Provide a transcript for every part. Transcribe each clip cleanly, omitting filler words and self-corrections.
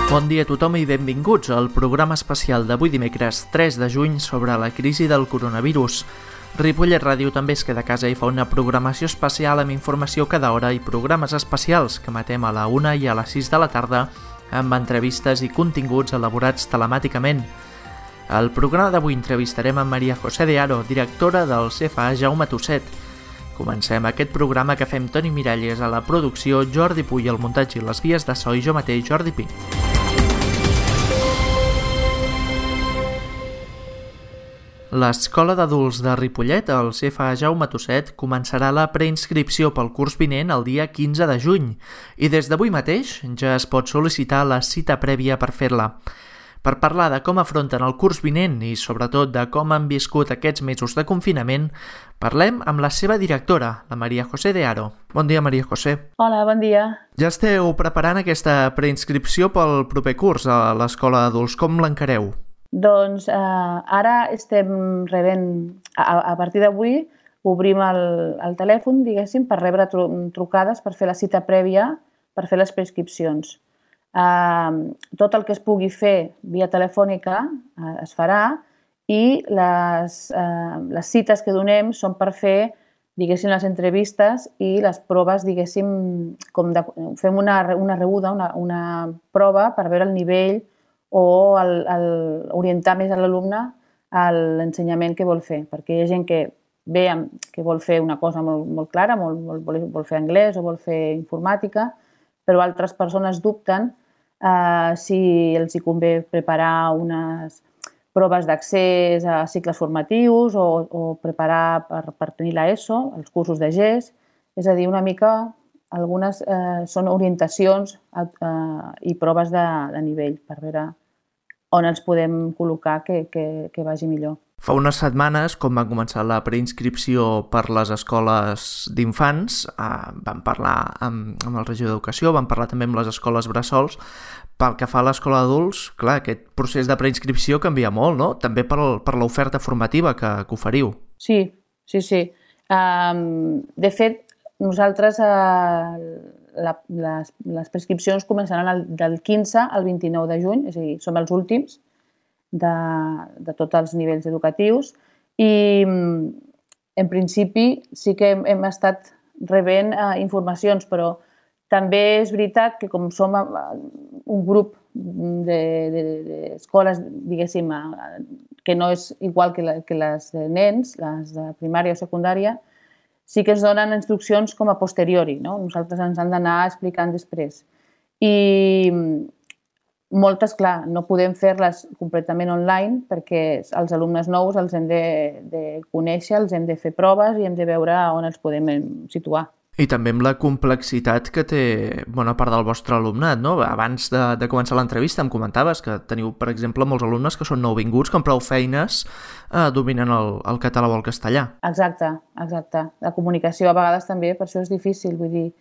Bon dia a tothom i benvinguts al programa especial d'avui dimecres 3 de juny sobre la crisi del coronavirus. Ripollet Ràdio també es queda a casa i fa una programació especial amb informació cada hora i programes especials que emetem a la 1 i a les 6 de la tarda amb entrevistes i continguts elaborats telemàticament. Al programa d'avui entrevistarem a Maria José de Haro, directora del CFA Jaume Tuset. Comencem aquest programa que fem Toni Miralles a la producció, Jordi Puy al muntatge i les vies de so i jo mateix, Jordi Pi. L'Escola d'Adults de Ripollet, el CFA Jaume Tuset, començarà la preinscripció pel curs vinent el dia 15 de juny i des d'avui mateix ja es pot sol·licitar la cita prèvia per fer-la. Per parlar de com afronten el curs vinent i sobretot de com han viscut aquests mesos de confinament, parlem amb la seva directora, la Maria José de Haro. Bon dia, Maria José. Hola, bon dia. Ja esteu preparant aquesta preinscripció pel proper curs a l'Escola d'Adults. Com l'encareu? Doncs ara estem rebent, a partir d'avui, obrim el telèfon, diguéssim, per rebre trucades per fer la cita prèvia, per fer les prescripcions. Tot el que es pugui fer via telefònica es farà i les cites que donem són per fer, diguéssim, les entrevistes i les proves, diguéssim, fem una rebuda, una prova per veure el nivell o orientar més a l'alumne a l'ensenyament que vol fer, perquè hi ha gent que ve que vol fer una cosa molt clara, vol fer anglès o vol fer informàtica, però altres persones dubten si els hi convé preparar unes proves d'accés a cicles formatius o preparar per tenir l'ESO, els cursos de GES, és a dir, una mica algunes són orientacions i proves de nivell per veure on ens podem col·locar que vagi millor. Fa unes setmanes, quan va començar la preinscripció per les escoles d'infants, vam parlar amb el regidor d'Educació, vam parlar també amb les escoles bressols. Pel que fa a l'escola d'adults, clar, aquest procés de preinscripció canvia molt, no? També per l'oferta formativa que oferiu. Sí. De fet, nosaltres les prescripcions començaran del 15 al 29 de juny, és a dir, som els últims de tots els nivells educatius i en principi sí que hem estat rebent informacions, però també és veritat que com som un grup d'escoles, diguéssim, que no és igual que les de nens, les de primària o secundària, sí que ens donen instruccions com a posteriori, no? Nosaltres ens han d'anar explicant després. I moltes, clar, no podem fer-les completament online perquè els alumnes nous els hem de conèixer, els hem de fer proves i hem de veure on els podem situar. I també amb la complexitat que té bona part del vostre alumnat, no? Abans de començar l'entrevista em comentaves que teniu, per exemple, molts alumnes que són nouvinguts, que amb prou feines dominen el català o el castellà. Exacte. La comunicació a vegades també, per això és difícil. Vull dir,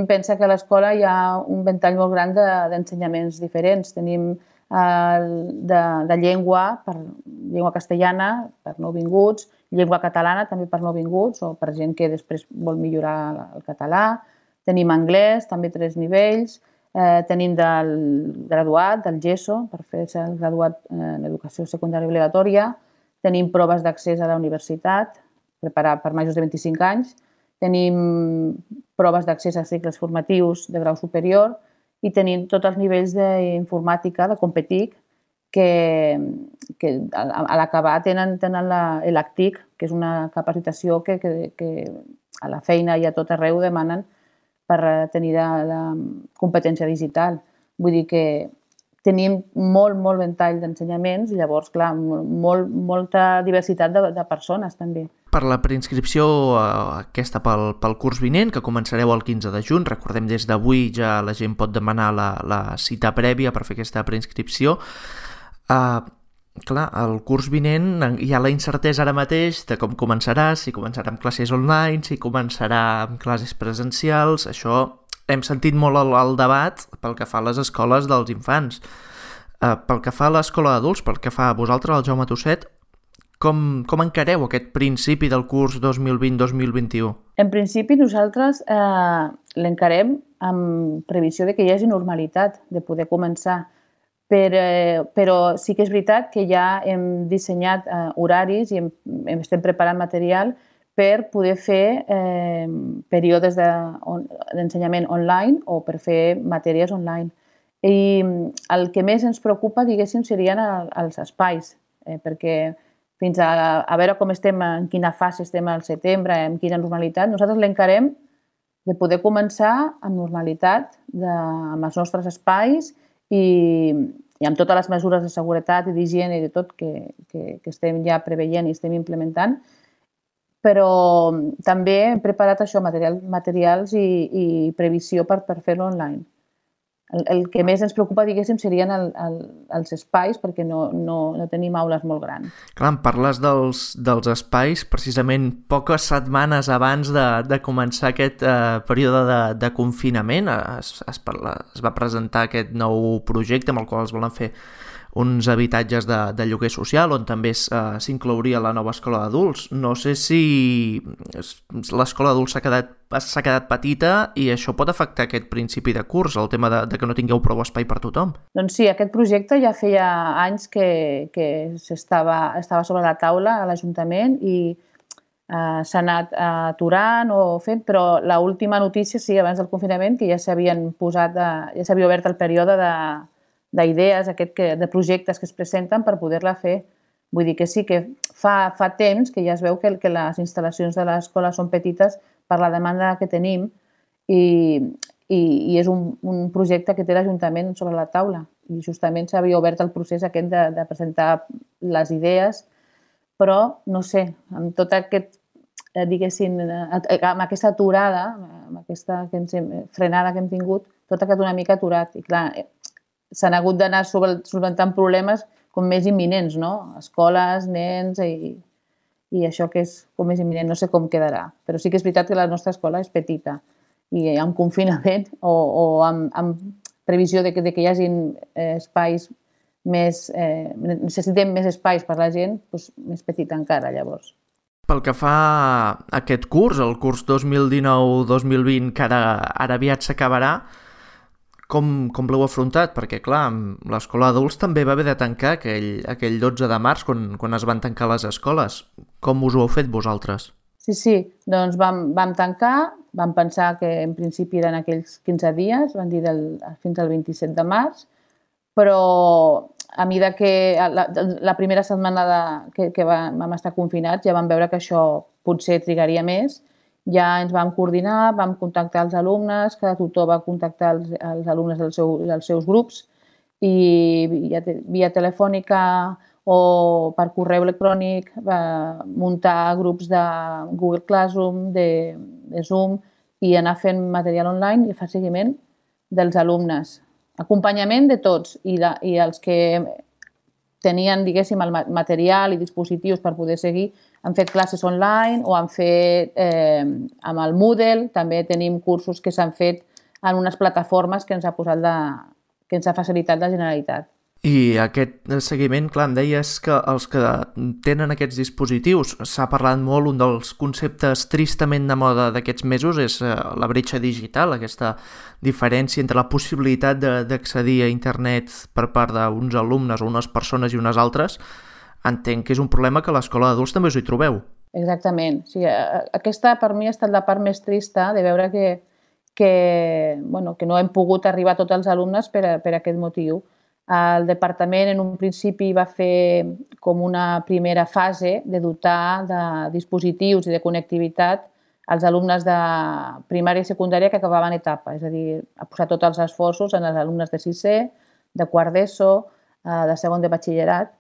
pensa que a l'escola hi ha un ventall molt gran d'ensenyaments diferents. Tenim de llengua, llengua castellana per nouvinguts, llengua catalana també per nouvinguts o per gent que després vol millorar el català. Tenim anglès, també 3 nivells. Tenim del graduat, del GESO, per fer-se el graduat en educació secundària obligatòria. Tenim proves d'accés a la universitat, preparar per majors de 25 anys. Tenim proves d'accés a cicles formatius de grau superior i tenim tots els nivells d'informàtica, de Competic, que a l'acabar tenen l'ACTIC, que és una capacitació que a la feina i a tot arreu demanen per tenir la competència digital. Vull dir que tenim molt ventall d'ensenyaments i llavors, clar, molta diversitat de persones també. Per la preinscripció aquesta pel curs vinent, que començareu el 15 de juny, recordem des d'avui ja la gent pot demanar la cita prèvia per fer aquesta preinscripció. Clar, el curs vinent hi ha la incertesa ara mateix de com començarà, si començarà amb classes online, si començarà amb classes presencials. Això hem sentit molt el debat pel que fa a les escoles dels infants. Pel que fa a l'escola d'adults, pel que fa a vosaltres, el Jaume Tuset, com encareu aquest principi del curs 2020-2021? En principi, nosaltres l'encarem amb previsió de que hi hagi normalitat, de poder començar. Però sí que és veritat que ja hem dissenyat horaris i estem preparant material per poder fer períodes d'ensenyament online o per fer matèries online. I el que més ens preocupa, diguéssim, serien els espais, perquè fins a veure com estem, en quina fase estem al setembre, en quina normalitat, nosaltres l'encarem de poder començar amb normalitat, amb els nostres espais i amb totes les mesures de seguretat i d'higiene i de tot que estem ja preveient i estem implementant, però també hem preparat això, materials i previsió per fer-lo online. El que més ens preocupa, diguéssim, serien els espais, perquè no tenim aules molt grans. Clar, em parles dels espais precisament poques setmanes abans de començar aquest període de confinament. Es va presentar aquest nou projecte amb el qual es volen fer uns habitatges de lloguer social on també s'inclouria la nova escola d'adults. No sé si l'escola d'adults s'ha quedat petita i això pot afectar aquest principi de curs, el tema de que no tingueu prou espai per tothom. Doncs sí, aquest projecte ja feia anys que estava sobre la taula a l'Ajuntament i s'ha anat aturant o fent, però l'última notícia, sí, abans del confinament, que ja s'havia obert el període d'idees, de projectes que es presenten per poder-la fer. Vull dir que sí que fa temps que ja es veu que les instal·lacions de l'escola són petites per la demanda que tenim i és un projecte que té l'Ajuntament sobre la taula. I justament s'havia obert el procés aquest de presentar les idees, però, no sé, amb tot aquest, diguéssim, amb aquesta aturada, amb aquesta frenada que hem tingut, tot ha quedat una mica aturat. I clar, s'han hagut d'anar solventant problemes com més imminents, no? Escoles, nens i això que és com més imminent, no sé com quedarà. Però sí que és veritat que la nostra escola és petita i amb confinament o amb previsió de que hi hagi espais més... necessitem més espais per la gent, doncs més petita encara, llavors. Pel que fa a aquest curs, el curs 2019-2020, que ara aviat s'acabarà, com l'heu afrontat? Perquè, clar, l'escola d'adults també va haver de tancar aquell 12 de març, quan es van tancar les escoles. Com us ho heu fet vosaltres? Sí, doncs vam tancar, vam pensar que en principi eren aquells 15 dies, van dir fins al 27 de març, però a mesura que la primera setmana que vam estar confinats ja vam veure que això potser trigaria més. Ja ens vam coordinar, vam contactar els alumnes, cada tutor va contactar els alumnes dels seus grups i via telefònica o per correu electrònic muntar grups de Google Classroom, de Zoom i anar fent material online i fer seguiment dels alumnes. Acompanyament de tots i els que tenien, diguéssim, el material i dispositius per poder seguir, han fet classes online o han fet amb el Moodle, també tenim cursos que s'han fet en unes plataformes que ens ha facilitat la Generalitat. I aquest seguiment, clar, em deies que els que tenen aquests dispositius, s'ha parlat molt, un dels conceptes tristament de moda d'aquests mesos és la bretxa digital, aquesta diferència entre la possibilitat d'accedir a internet per part d'uns alumnes o unes persones i unes altres. Entenc que és un problema que a l'escola d'adults també us hi trobeu. Exactament. Sí, aquesta per mi ha estat la part més trista de veure que no hem pogut arribar a tots els alumnes per aquest motiu. El departament en un principi va fer com una primera fase de dotar de dispositius i de connectivitat als alumnes de primària i secundària que acabaven etapa, és a dir, ha posat tots els esforços en els alumnes de sisè, de quart d'ESO, de segon de batxillerat,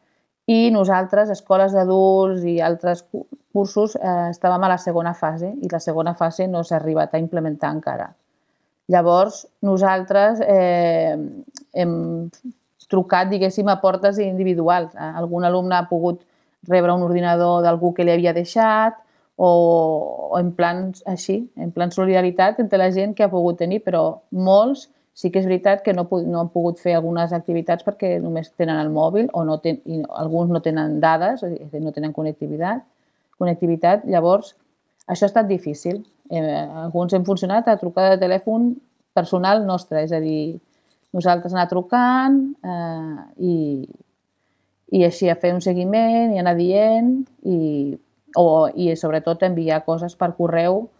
i nosaltres, escoles d'adults i altres cursos, estàvem a la segona fase i la segona fase no s'ha arribat a implementar encara. Llavors, nosaltres hem trucat, diguéssim, a portes individuals. Algun alumne ha pogut rebre un ordinador d'algú que li havia deixat o en plans així, en plan solidaritat entre la gent que ha pogut tenir, però molts sí que és veritat que no han pogut fer algunes activitats perquè només tenen el mòbil o alguns no tenen dades, no tenen connectivitat. Llavors, això ha estat difícil. Alguns hem funcionat a trucada de telèfon personal nostre, és a dir, nosaltres anar trucant i així a fer un seguiment i anar dient i sobretot enviar coses per correu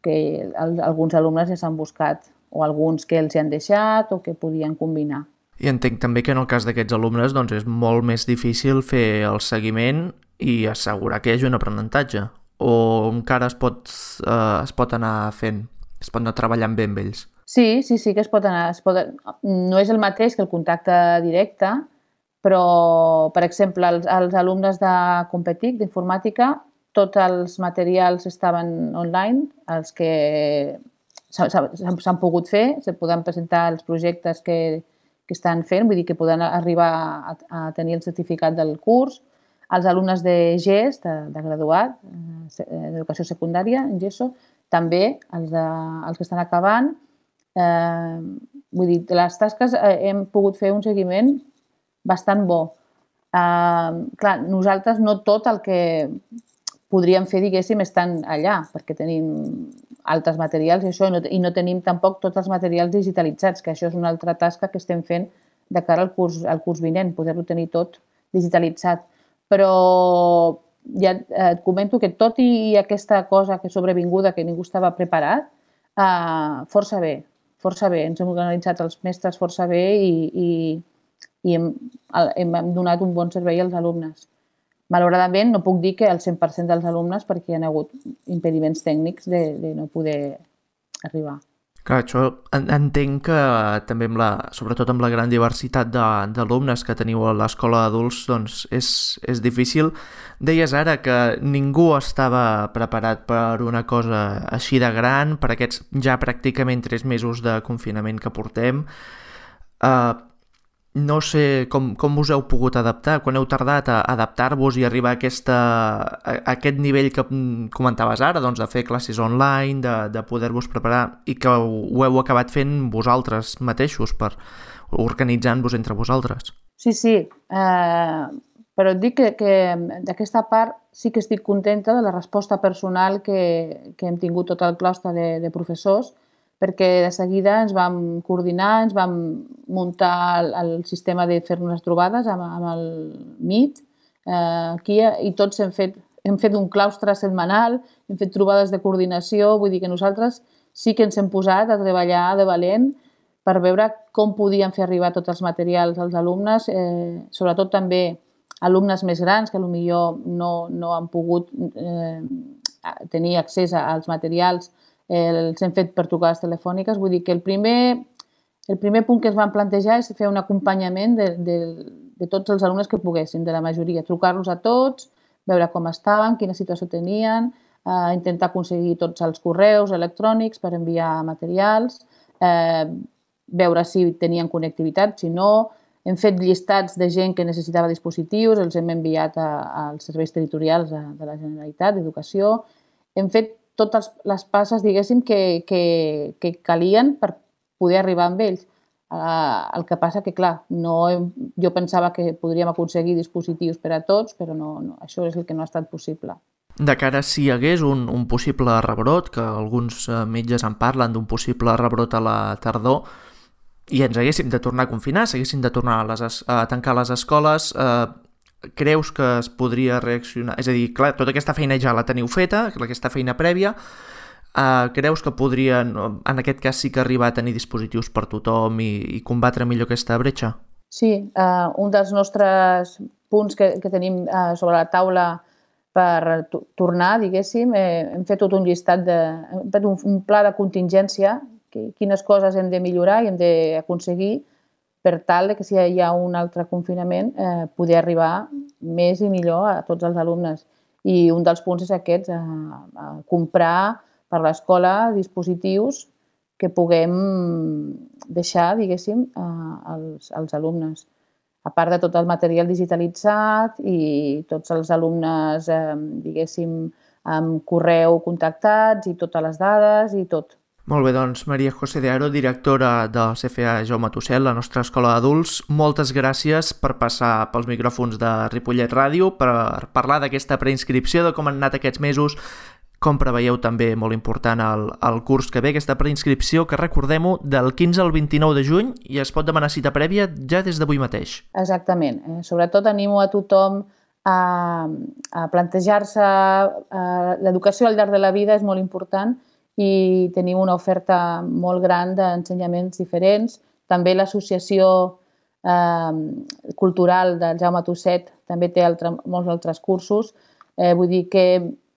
que alguns alumnes ja s'han buscat o alguns que els hi han deixat o que podien combinar. I entenc també que en el cas d'aquests alumnes doncs, és molt més difícil fer el seguiment i assegurar que hi hagi un aprenentatge, o encara es pot anar fent, es pot anar treballant bé amb ells? Sí que es pot anar. No és el mateix que el contacte directe, però, per exemple, els alumnes de Competic, d'informàtica, tots els materials estaven online, els que s'han pogut fer, se poden presentar els projectes que estan fent, vull dir que poden arribar a tenir el certificat del curs. Els alumnes de GES, de graduat, d'educació secundària, en GESO, també, els que estan acabant. Vull dir, de les tasques hem pogut fer un seguiment bastant bo. Clar, nosaltres no tot el que podríem fer, diguéssim, estan allà, perquè tenim altres materials i això, i no tenim tampoc tots els materials digitalitzats, que això és una altra tasca que estem fent de cara al curs vinent, poder-ho tenir tot digitalitzat. Però ja et comento que tot i aquesta cosa que sobrevinguda, que ningú estava preparat, força bé. Ens hem organitzat els mestres força bé i hem donat un bon servei als alumnes. Malauradament, no puc dir que el 100% dels alumnes perquè hi ha hagut impediments tècnics de no poder arribar. Clar, això entenc que també, sobretot amb la gran diversitat d'alumnes que teniu a l'escola d'adults, doncs és difícil. Deies ara que ningú estava preparat per una cosa així de gran, per aquests ja pràcticament 3 mesos de confinament que portem. No sé com us heu pogut adaptar, quan heu tardat a adaptar-vos i arribar a aquest nivell que comentaves ara, doncs de fer classes online, de poder-vos preparar i que ho heu acabat fent vosaltres mateixos, organitzant-vos entre vosaltres. Sí, però et dic que d'aquesta part sí que estic contenta de la resposta personal que hem tingut tot el claustre de professors, perquè de seguida ens vam coordinar, ens vam muntar el sistema de fer-nos les trobades amb el Meet aquí i tots hem fet un claustre setmanal, hem fet trobades de coordinació, vull dir que nosaltres sí que ens hem posat a treballar de valent per veure com podíem fer arribar tots els materials als alumnes, sobretot també alumnes més grans que potser no han pogut tenir accés als materials, els hem fet per trucades telefòniques. Vull dir que el primer punt que ens vam plantejar és fer un acompanyament de tots els alumnes que poguessin, de la majoria, trucar-los a tots, veure com estaven, quina situació tenien, intentar aconseguir tots els correus electrònics per enviar materials, veure si tenien connectivitat, si no. Hem fet llistats de gent que necessitava dispositius, els hem enviat als serveis territorials de la Generalitat d'Educació. Hem fet totes les passes, diguéssim, que calien per poder arribar amb ells. El que passa que, clar, jo pensava que podríem aconseguir dispositius per a tots, però no, això és el que no ha estat possible. De cara si hi hagués un possible rebrot, que alguns metges en parlen d'un possible rebrot a la tardor, i ens haguéssim de tornar a confinar, s'haguessin de tornar a tancar les escoles, creus que es podria reaccionar? És a dir, clar, tota aquesta feina ja la teniu feta, aquesta feina prèvia, creus que podrien, en aquest cas sí que arribar a tenir dispositius per tothom i combatre millor aquesta bretxa? Sí, un dels nostres punts que tenim sobre la taula per tornar, diguéssim, hem fet tot un llistat, hem fet un pla de contingència, quines coses hem de millorar i hem d'aconseguir per tal que si hi ha un altre confinament poder arribar més i millor a tots els alumnes. I un dels punts és aquest, comprar per l'escola dispositius que puguem deixar, diguéssim, als alumnes. A part de tot el material digitalitzat i tots els alumnes, diguéssim, amb correu contactats i totes les dades i tot. Molt bé, doncs, Maria José de Haro, directora del CFA Jaume Tussell, la nostra escola d'adults, moltes gràcies per passar pels micròfons de Ripollet Ràdio, per parlar d'aquesta preinscripció, de com han anat aquests mesos, Com preveieu també, molt important, el curs que ve, aquesta preinscripció, que recordem-ho, del 15 al 29 de juny, i es pot demanar cita prèvia ja des d'avui mateix. Exactament. Sobretot animo a tothom a plantejar-se l'educació al llarg de la vida és molt important i tenim una oferta molt gran d'ensenyaments diferents. També l'associació cultural del Jaume Tusset també té molts altres cursos. Vull dir que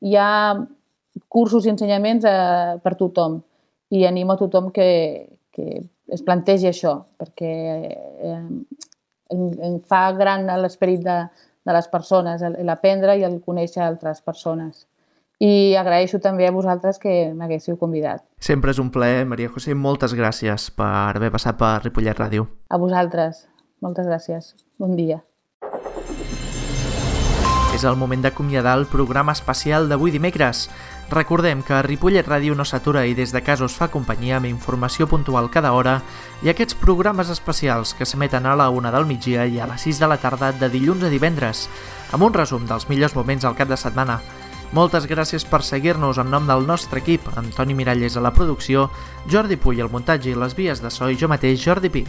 hi ha cursos i ensenyaments per tothom i animo a tothom que es plantegi això perquè fa gran l'esperit de les persones, l'aprendre i el conèixer altres persones. I agraeixo també a vosaltres que m'haguéssiu convidat. Sempre és un plaer, Maria José. Moltes gràcies per haver passat per Ripollet Ràdio. A vosaltres. Moltes gràcies. Bon dia. És el moment d'acomiadar el programa especial d'avui dimecres. Recordem que Ripollet Ràdio no s'atura i des de casa us fa companyia amb informació puntual cada hora i aquests programes especials que s'emeten a la 1 del migdia i a les 6 de la tarda de dilluns a divendres, amb un resum dels millors moments al cap de setmana. Moltes gràcies per seguir-nos en nom del nostre equip, Antoni Miralles a la producció, Jordi Puy al muntatge i les vies de so i jo mateix, Jordi Pi.